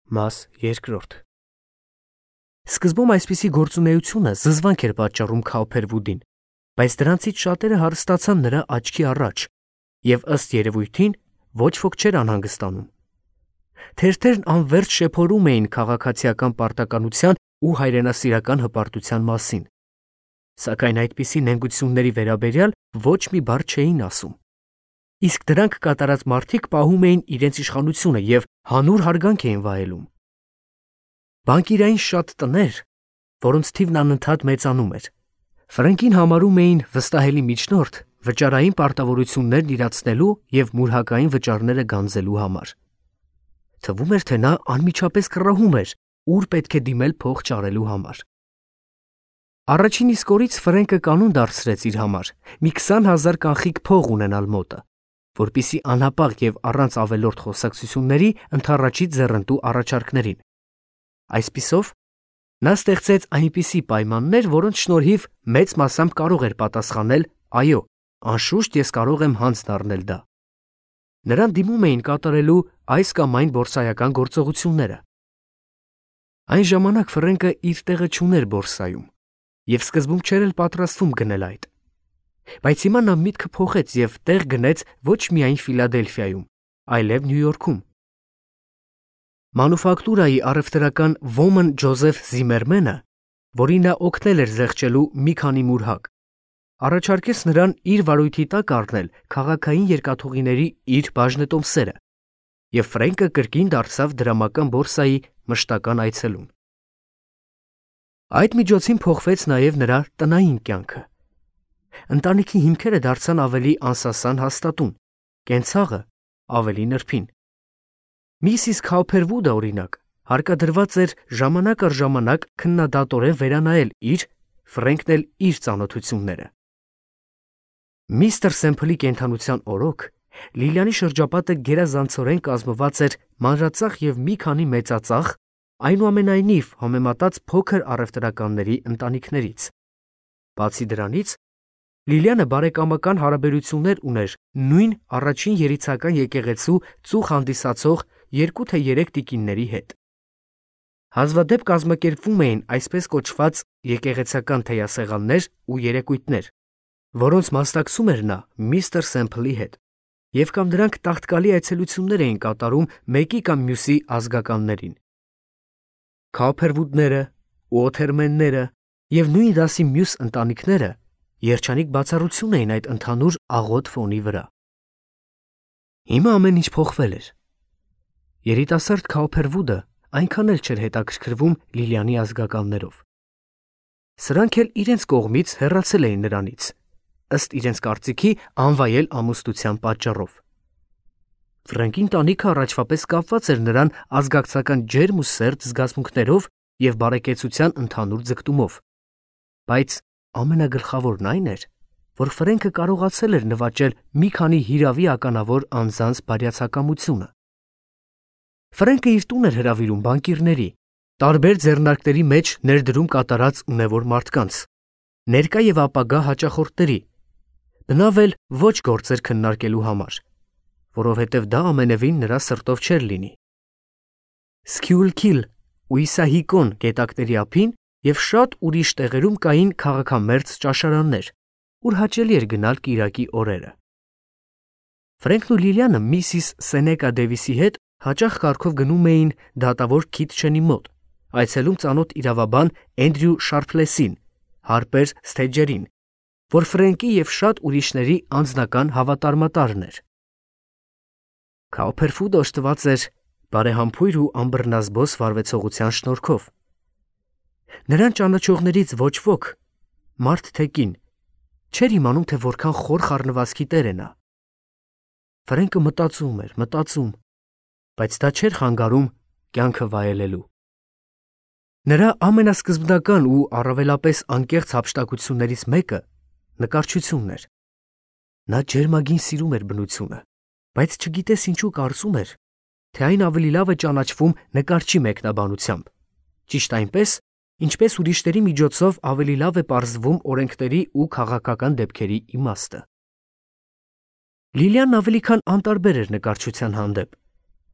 Մաս 2 Սկզբում այսպիսի գործունեությունը զզվանք էր պատճառում Քաուփերվուդին, բայց դրանցից շատերը հարստացան նրա աչքի առաջ, եւ ըստ երևույթին ոչ ոք չէր անհանգստանում։ Թերթերն անվերջ շեփորում էին քաղաքացիական պարտականության ու հայրենասիրական հպարտության մասին, սակայն այդպիսի նենգությունների վերաբերյալ ոչ մի բառ չէին ասում։ Իսկ դրանք կատարած մարդիկ պահում էին իրենց իշխանությունը եւ հանուր հարգանք էին վայելում։ Բանկիրային շատ տներ, որոնց թիվն անընդհատ մեծանում էր, Ֆրենկին համարում էին վստահելի միջնորդ վճարային պարտավորություններն իրացնելու եւ մուրհակային վճարները գանձելու համար։ Թվում էր, թե նա անմիջապես կռահում էր, ուր պետք է դիմել փող ճարելու համար։ Առաջին իսկ օրից Ֆրենկը կանոն դարձրեց իր համար մի 20,000 կանխիկ փող ունենալ մոտը, որպիսի անհապաղ եւ առանց ավելորդ խոսակցությունների ընդառաջի ձեռնտու առաջարկներին։ Այսպիսով, նա ստեղծեց այնպիսի պայմաններ, որոնց շնորհիվ մեծ մասամբ կարող էր պատասխանել. «Այո, անշուշտ ես կարող եմ հանձ դառնել դա»։ Նրան դիմում էին կատարելու այս կամ այն բորսայական գործողությունները։ Այն ժամանակ Ֆրենկը իր տեղը չուներ բորսայում եւ սկզբում չէր էլ պատրաստվում գնել այդ։ Բայց հիմա նա միտքը փոխեց եւ տեղ գնեց ոչ միայն Ֆիլադելֆիայում, այլև Նյու Յորքում։ Մանուֆակտուրայի առևտրական ոմն Ջոզեֆ Զիմերմենը, որին նա օգնել էր զեղչելու մի քանի մուրհակ, առաջարկեց նրան իր վարույթի տակ առնել քաղաքային երկաթուղիների իր բաժնետոմսերը, եւ Ֆրենկը կրկին դարձավ դրամական բորսայի մշտական այցելուն։ Այդ միջոցին փոխվեց նաեւ նրա տնային կյանքը։ Ընտանիքի հիմքերը դարձան ավելի անսասան հաստատուն, կենցաղը ավելի նրբին։ Միսիս Քաուփերվուդը, օրինակ, հարկադրված էր ժամանակ առ ժամանակ քննադատորեն վերանայել իր, Ֆրենկն էլ իր ծանոթությունները։ Միստր Սեմփլի կենդանության օրոք Լիլիանի շրջապատը գերազանցորեն կազմված էր մանրածախ եւ մի քանի մեծածախ, այնուամենայնիվ համեմատած փոքր առևտրականների ընտանիքներից։ Բացի դրանից, Լիլիանը բարեկամական հարաբերություններ ուներ նույն առաջին երիցական եկեղեցու ծուխ հանդիսացող 2 թե 3 տիկինների հետ։ Հազվադեպ կազմակերպվում էին այսպես կոչված եկեղեցական թեյասեղաններ ու երեկույթներ, որոնց մասնակցում էր նա միստր Սեմփլի հետ, եւ կամ դրանք տաղտկալի այցելություններ էին կատարում մեկի կամ մյուսի ազգականներին։ Քաուփերվուդները, Ուոթերմենները եւ նույն դասի մյուս ընտանիքները երջանիկ բացառություն էին այդ ընդհանուր աղոտ ֆոնի վրա։ Հիմա ամեն ինչ փոխվել էր։ Երիտասարդ Քաուփերվուդը այնքան էլ չէր հետաքրքրվում Լիլիանի ազգականներով։ Սրանք էլ իրենց կողմից հեռացել էին նրանից, ըստ իրենց կարծիքի անվայել ամուսնության պատճառով։ Ֆրենկին տանիքը առաջվա պես կապված էր նրան ազգակցական ջերմ ու սերտ զգացմունքներով եւ բարեկեցության ընդհանուր ձգտումով։ Բայց ամենագլխավորն այն էր, որ Ֆրենկը կարողացել էր նվաճել մի քանի հիրավի ականավոր անձանց բարյացակամությունը։ Ֆրենկը իր տուն էր հրավիրում բանկիրների, տարբեր ձեռնարկների մեջ ներդրում կատարած ունևոր մարդկանց, ներկա եւ ապագա հաճախորդների, բնավ էլ ոչ գործեր քննարկելու համար, որովհետև դա ամենևին նրա սրտով չէր լինի։ Սկյուլքիլ ու Իսահիկոն գետակների ափին եւ շատ ուրիշ տեղերում կային քաղաքամերձ ճաշարաններ, ուր հաճելի էր գնալ կիրակի օրերը։ Ֆրենկն ու Լիլիանը միսիս Սենեկա Դեվիսի հետ հաճախ կարգով գնում էին դատավոր Քիթչենի մոտ, այցելում ծանոթ իրավաբան Էնդրյու Շարփլեսին, Հարպեր Սթեջերին, որ Ֆրենկի եւ շատ ուրիշների անձնական հավատարմատարն էր։ Քաուփերվուդը օժտված էր բարեհամբույր ու անբռնազբոս վարվեցողության շնորհքով։ Նրան ճանաչողներից ոչ ոք, մարդ թե կին, չէր իմանում, թե որքան խոր խառնվածքի տեր է նա։ Ֆրենկը մտածում, բայց դա չէր խանգարում կյանքը վայելելու։ Նրա ամենասկզբնական ու առավելապես անկեղծ հափշտակություններից մեկը նկարչությունն էր։ Նա ջերմագին սիրում էր բնությունը, բայց չգիտես ինչու կարծում էր, թե այն ավելի լավ է ճանաչվում նկարչի մեկնաբանությամբ, ճիշտ այնպես, ինչպես ուրիշների միջոցով ավելի լավ է պարզվում օրենքների ու քաղաքական դեպքերի իմաստը։ Լիլիան ավելի քան անտարբեր էր նկարչության հանդեպ,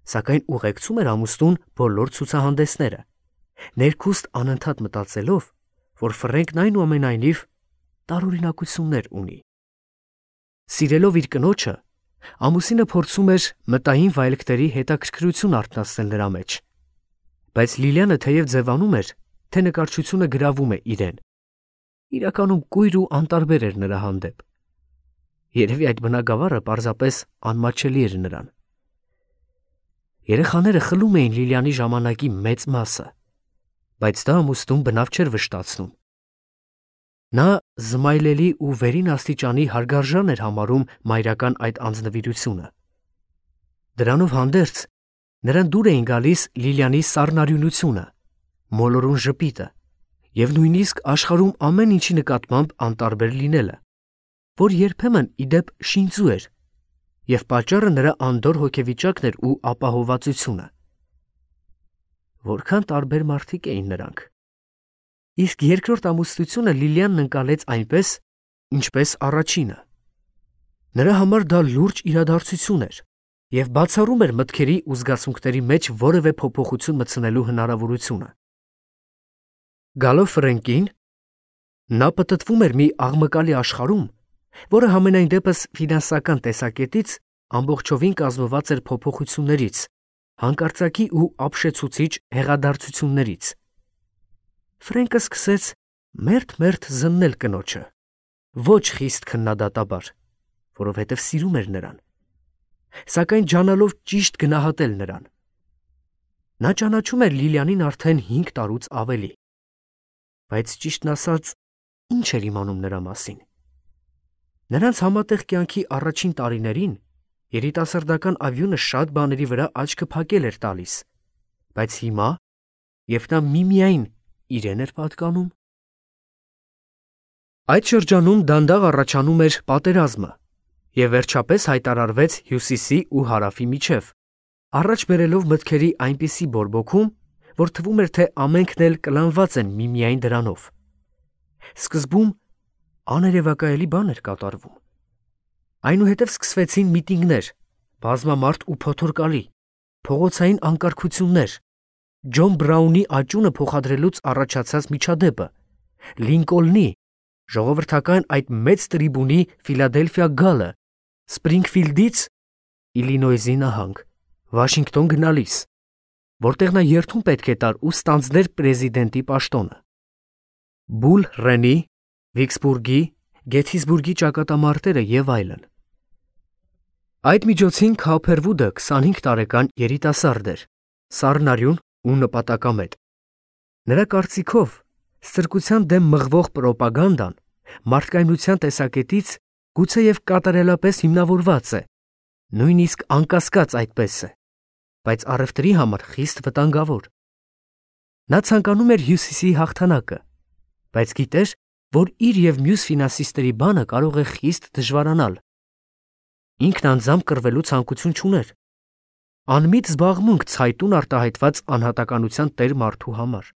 սակայն ուղեկցում էր ամուսնուն բոլոր ցուցահանդեսները, ներքուստ անընդհատ մտածելով, որ Ֆրենկն այնուամենայնիվ տարօրինակություններ ունի։ Սիրելով իր կնոջը, ամուսինը փորձում էր մտային վայելքների հետաքրքրություն արթնացնել նրա մեջ, բայց Լիլիանը թեև ձևանում էր, թե նկարչությունը գրավում է իրեն, իրականում կույր ու անտարբեր էր նրա հանդեպ։ Երևի այդ բնագավառը պարզապես անմատչելի էր նրան։ Երեխաները խլում էին Լիլիանի ժամանակի մեծ մասը, բայց դա ամուսնուն բնավ չէր վշտացնում։ Նա զմայլելի ու վերին աստիճանի հարգարժան էր համարում մայրական այդ անձնվիրությունը։ Դրանով հանդերձ նրան դուր էին գալիս Լիլիանի սառնարյունությունը, մոլորուն ժպիտը և նույնիսկ աշխարհում ամեն ինչի նկատմամբ անտարբեր լինելը, որ երբեմն ի դեպ շինծու էր, և պատճառը նրա անդորր հոգեվիճակն էր ու ապահովվածությունը։ Որքան տարբեր մարդիկ էին նրանք։ Իսկ երկրորդ ամուսնությունը Լիլիանն ընկալեց այնպես, ինչպես առաջինը։ Նրա համար դա լուրջ իրադարձություն էր և բացառում էր մտքերի ու զգացմունքների մեջ որևէ փոփոխություն մտցնելու հնարավորությունը։ Գալով Ֆրենկին, նա պտտվում էր մի աղմկալի աշխարհում, որը համենայն դեպս ֆինանսական տեսակետից ամբողջովին կազմված էր փոփոխություններից, հանկարծակի ու ապշեցուցիչ հեղադարձություններից։ Ֆրենկը սկսեց մերթ-մերթ զննել կնոջը, ոչ խիստ քննադատաբար, որովհետև սիրում էր նրան, սակայն ջանալով ճիշտ գնահատել նրան։ Նա ճանաչում էր Լիլիանին արդեն 5 տարուց ավելի, բայց ճիշտն ասած, ինչ էր իմանում նրա մասին։ Նրանց համատեղ կյանքի առաջին տարիներին երիտասարդական ավյունը շատ բաների վրա աչքը փակել էր տալիս, բայց հիմա, երբ նա միմիայն իրեն էր պատկանում։ Այդ շրջանում դանդաղ առաջանում էր պատերազմը և վերջապես հայտարարվեց հյուսիսի ու հարավի միջև, առաջ բերելով մտքերի այնպիսի բորբոքում, որ թվում էր, թե ամենքն էլ կլանված են միմիայն դրանով։ Սկզբում աներևակայելի բան էր կատարվում։ Այնուհետև սկսվեցին միտինգներ, բազմամարդ ու փոթորկալի, փողոցային անկարգություններ, Ջոն Բրաունի աճյունը փոխադրելուց առաջացած միջադեպը, Լինկոլնի, ժողովրդական այդ մեծ տրիբունի Ֆիլադելֆիա գալը, Սպրինգֆիլդից Իլինոյզի նահանգ, Վաշինգտոն գնալիս, որտեղ նա երթում պետք է տար ու ստանձներ պրեզիդենտի պաշտոնը, Բուլ Ռենի, Վիքսբուրգի, Գեթիսբուրգի ճակատամարտերը և այլն։ Այդ միջոցին Քոփերվուդը 25 տարեկան երիտասարդ էր, սառնարյուն ու նպատակամետ։ Նրա կարծիքով ստրկության դեմ մղվող պրոպագանդան մարդկայնության տեսակետից գուցեև կատարելապես հիմնավորված է, նույնիսկ անկասկած այդպես է, բայց առևտրի համար խիստ վտանգավոր։ Նա ցանկանում էր հյուսիսի հաղթանակը, բայց գիտեր, որ իր և մյուս ֆինանսիստների բանը կարող է խիստ դժվարանալ։ Ինքն անձամբ կռվելու ցանկություն չուներ։ Անմիտ զբաղմունք ցայտուն արտահայտված անհատականության տեր մարդու համար։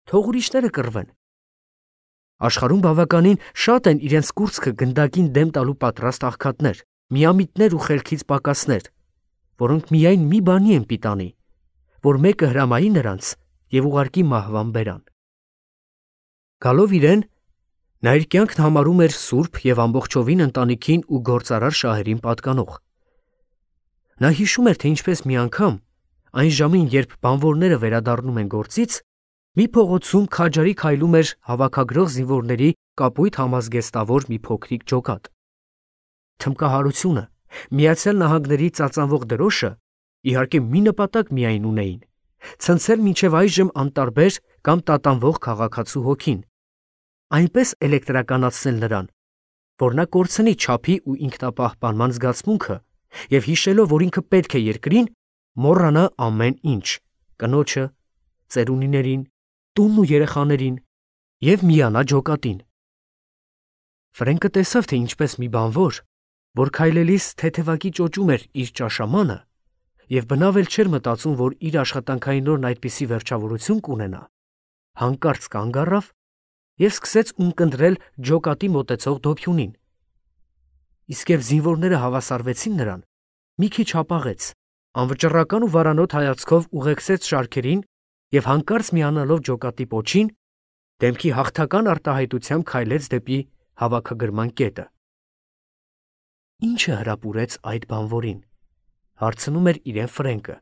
Թող ուրիշները կռվեն։ Աշխարհում բավականին շատ են իրենց կուրծքը գնդակին դեմ տալու պատրաստ աղքատներ, միամիտներ ու խելքից պակասներ, որոնք միայն մի բանի են պիտանի, որ մեկը հրամայի նրանց և ուղարկի մահվան բերան։ Գալով իրեն, նա իր կյանքն համարում էր սուրբ և ամբողջովին ընտանիքին ու գործարար շահերին պատկանող։ Նա հիշում էր, թե ինչպես մի անգամ, այն ժամին, երբ բանվորները վերադառնում են գործից, մի փողոցում քաջարի քայլում էր հավաքագրող զինվորների կապույտ համազգեստավոր մի փոքրիկ ջոկատ։ Թմբկահարությունը, Միացյալ Նահանգների ծածանվող դրոշը, իհարկե մի նպատակ միայն ունեին՝ ցնցել մինչև այժմ անտարբեր կամ տատանվող քաղաքացու հոգին, այնպես էլեկտրականացնել նրան, որ նա կորցնի չափի ու ինքնապահպանման զգացմունքը և հիշելով, որ ինքը պետք է երկրին, մոռանա ամեն ինչ՝ կնոջը, ծերունիներին, տունն ու երեխաներին և միանա ջոկատին։ Ֆրենկը տեսավ, թե ինչպես մի բանվոր, որ քայլելիս թեթևակի ճոճում էր իր ճաշամանը և բնավ էլ չէր մտածում, որ իր աշխատանքային օրն այդպիսի վերջավորություն կունենա, հանկարծ կանգ առավ և սկսեց ունկնդրել ջոկատի մոտեցող դոփյունին։ Իսկ երբ զինվորները հավասարվեցին նրան, մի քիչ հապաղեց Անվճռական ու վարանոտ հայացքով ուղեկցեց շարքերին եւ հանկարծ միանալով ջոկատի պոչին, դեմքի հաղթական արտահայտությամբ քայլեց դեպի հավաքագրման կետը։ Ինչը հրապուրեց այդ բանվորին, հարցնում էր իրեն Ֆրենկը։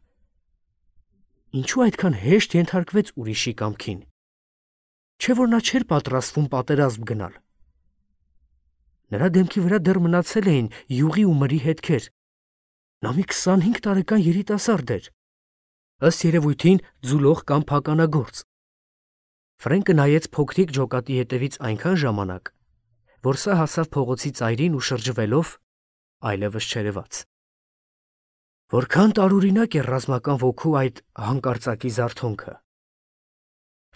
Ինչու այդքան հեշտ ենթարկվեց ուրիշի կամքին։ Չէ՞ որ նա չէր պատրաստվում պատերազմ գնալ։ Նրա դեմքի վրա դեռ մնացել էին յուղի ու մրի հետքեր։ Նա մի 25 տարեկան երիտասարդ էր, ըստ երևույթին ձուլող կամ փականագործ։ Ֆրենկը նայեց փոքրիկ ջոկատի հետևից այնքան ժամանակ, որ սա հասավ փողոցի ծայրին ու շրջվելով այլևս չերևաց։ Որքան տարօրինակ է ռազմական ոգու այդ հանկարծակի զարթոնքը։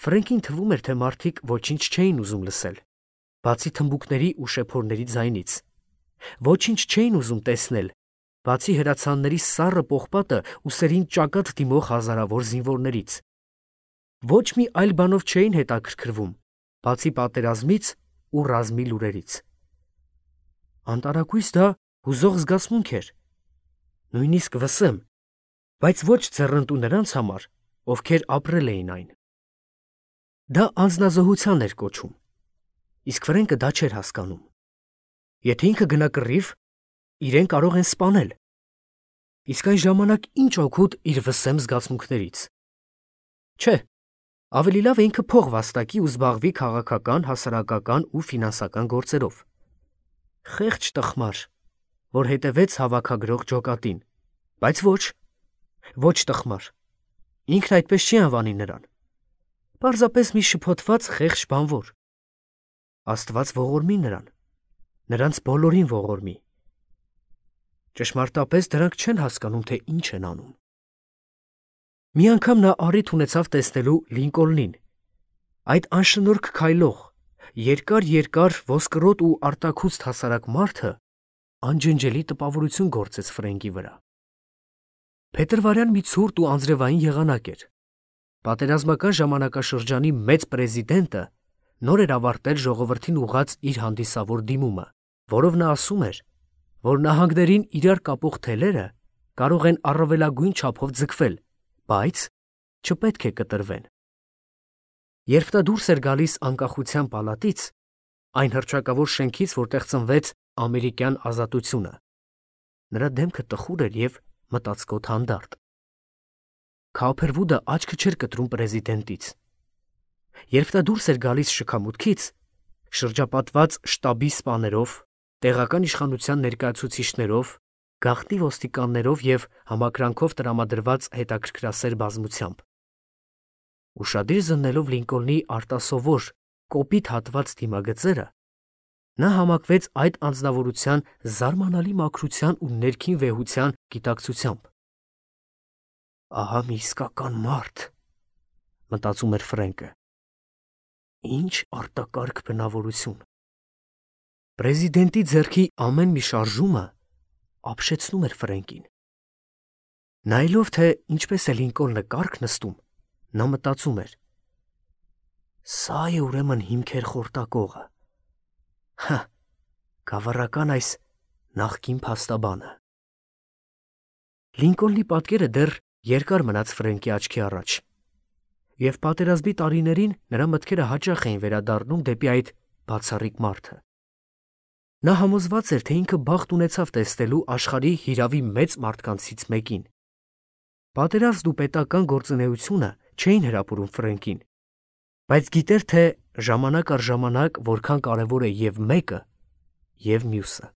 Ֆրենկին թվում էր, թե մարդիկ ոչինչ չէին ուզում լսել, բացի թմբուկների ու շեփորների ձայնից։ Ոչինչ չէին ուզում տեսնել, բացի հրացանների սառը պողպատը ու սերին ճակատ դիմող հազարավոր զինվորներից։ Ոչ մի այլ բանով չէին հետաքրքրվում, բացի պատերազմից ու ռազմի լուրերից։ Անտարակույս դա հուզող զգացմունք էր, նույնիսկ վսեմ, բայց ոչ ձեռնտու նրանց համար, ովքեր ապրել էին այն։ Դա անձնազոհության էր կոչում, իսկ Ֆրենկը դա չէր հասկանում։ Եթե ինքը գնա կռիվ, իրեն կարող են սպանել։ Իսկ այն ժամանակ ինչ օգուտ իր վսեմ զգացմունքներից։ Չէ, ավելի լավ է ինքը փող վաստակի ու զբաղվի քաղաքական, հասարակական ու ֆինանսական գործերով։ Խեղճ տխմար, որ հետևեց հավաքագրող ջոկատին, բայց ոչ տխմար։ Ինքն այդպես չի անվանի նրան։ Պարզապես մի շփոթված խեղճ բանվոր։ Աստված ողորմի նրան, նրանց բոլորին ողորմի։ Ճշմարտապես դրանք չեն հասկանում, թե ինչ են անում։ Մի անգամ նա առիթ ունեցավ տեսնելու Լինկոլնին, այդ անշնորհք քայլող, երկար ոսկրոտ ու արտաքուստ հասարակ մարդը անջնջելի տպավորություն գործեց Ֆրենկի վրա։ Փետրվարյան մի ցուրտ ու անձրևային եղանակ էր։ Պատերազմական ժամանակաշրջանի մեծ պրեզիդենտը նոր էր ավարտել ժողովրդին ուղղած իր հանդիսավոր դիմումը, որով նա ասում էր, որ նահանգներին իրար կապող թելերը կարող են առավելագույն չափով ձգվել, բայց չպետք է կտրվեն։ Երբ նա դուրս էր գալիս անկախության պալատից, այն հռչակավոր շենքից, որտեղ ծնվեց ամերիկյան ազատությունը, նրա դեմքը տխուր էր և մտածկոտ հանդարտ։ Քաուփերվուդը աչքը չէր կտրում պրեզիդենտից։ Երբ նա դուրս էր գալիս շքամուտքից, շրջապատված շտաբի սպաներով, տեղական իշխանության ներկայացուցիչներով, գաղտնի ոստիկաններով և համակրանքով տրամադրված հետաքրքրասեր բազմությամբ, ուշադիր զննելով Լինկոլնի արտասովոր, կոպիտ հատված դիմագծերը, նա համակվեց այդ անձնավորության զարմանալի մաքրության ու ներքին վեհության գիտակցությամբ։ Ահա մի իսկական մարդ, մտածում էր Ֆրենկը։ Ինչ արտակարգ բնավորություն։ Պրեզիդենտի ձեռքի ամեն մի շարժումը ապշեցնում էր Ֆրենկին։ Նայելով, թե ինչպես է Լինկոլնը կառք նստում, նա մտածում էր. Սա է ուրեմն հիմքեր խորտակողը։ Հա, գավառական այս նախկին փաստաբանը։ Լինկոլնի պատկերը դեռ երկար մնաց Ֆրենկի աչքի առաջ, և պատերազմի տարիներին նրա մտքերը հաճախ էին վերադառնում դեպի այդ բացառիկ մարդը։ Նա համոզված էր, թե ինքը բախտ ունեցավ տեսնելու աշխարհի հիրավի մեծ մարդկանցից մեկին։ Պատերազմն ու պետական գործունեությունը չէին հրապուրում Ֆրենկին, բայց գիտեր, թե ժամանակ առ ժամանակ որքան կարևոր է և մեկը, և մյուսը։